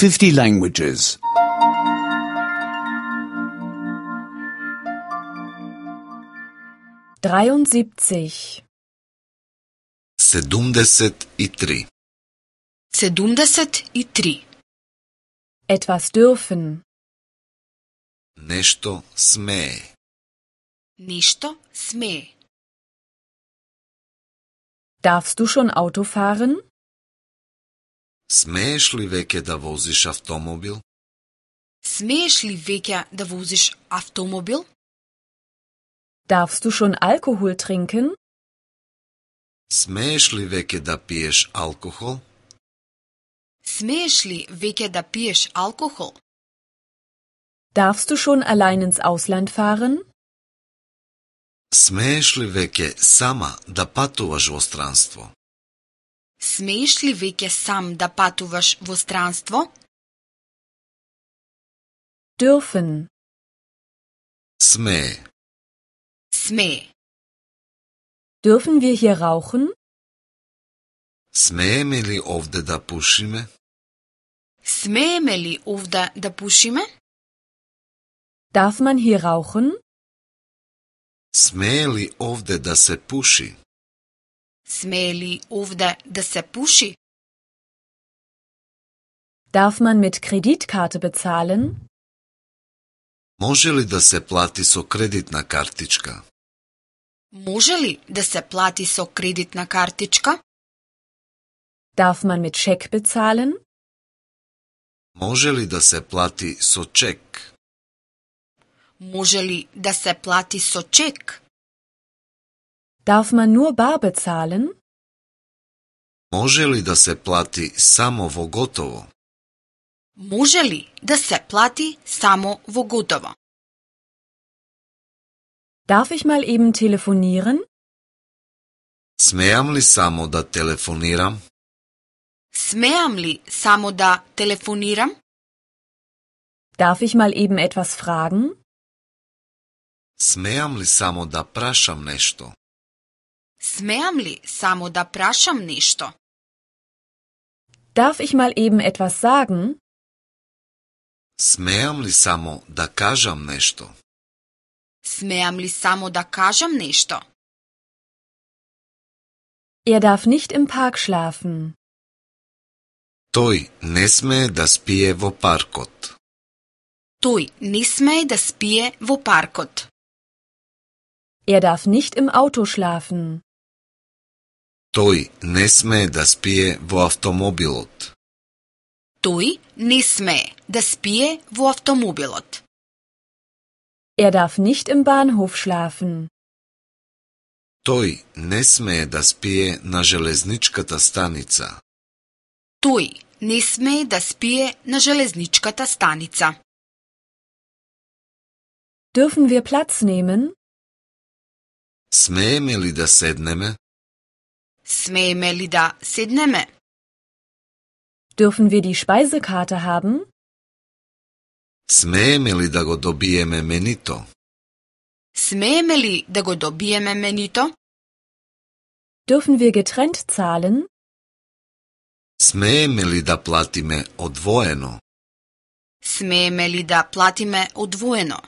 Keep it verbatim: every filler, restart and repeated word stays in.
fifty languages. dreiundsiebzig. Sedumdeset i tri. Sedumdeset i tri. Etwas dürfen. Nešto sme. Nešto sme. Darfst du schon Auto fahren? Smeješ li veke da voziš avtomobil? Smeješ li veke da voziš avtomobil? Darfst du schon Alkohol trinken? Smeješ li veke da piješ alkohol? Smeješ li veke da piješ alkohol? Darfst du schon allein ins Ausland fahren? Smeješ li veke sama da patuvaš vo stranstvo? Smeješ li veke sam da patuvaš vo stranstvo? Dürfen. Sme. Sme. Dürfen wir hier rauchen? Smejeme li ovde da pušime? Smejeme li ovde da pušime? Darf man hier rauchen? Smeje li ovde da se puši? Smeje li ovde da se puši? Darf man mit Kreditkarte bezahlen? Može li da se plati so kreditna kartička? Može li da se plati so kreditna kartička? Darf man mit Scheck bezahlen? Može li da se plati so ček? Može li da se plati so ček? Darf man nur bar bezahlen? Može li da se plati samo vo gotovo? Može li da se plati samo vo gotovo? Darf ich mal eben telefonieren? Smejam li samo da telefoniram? Smejam li samo da telefoniram? Darf ich mal eben etwas fragen? Smejam li samo da prašam nešto? Smejam li samo da prašam nešto? Darf ich mal eben etwas sagen? Smejam li samo da kažam nešto? Smejam li samo da kažem nešto? Er darf nicht im Park schlafen. Toj ne sme da spije vo parkot. Toj ne sme da spije vo parkot. Er darf nicht im Auto schlafen. Toj ne sme da spije vo avtomobilot. Toj ne sme da spije vo avtomobilot. Er darf nicht im Bahnhof schlafen. Toj ne sme da spije na železničkata stanica. Toj ne sme da spije na železničkata stanica. Dürfen wir Platz nehmen? Smejeme li da sedneme? Smejeme li da sedneme? Dürfen wir die Speisekarte haben? Smejeme li da go dobijeme menito? Smejeme li da go dobijeme menito? Dürfen wir getrennt zahlen? Smejeme li da platime odvojeno? Smejeme li da platime odvojeno?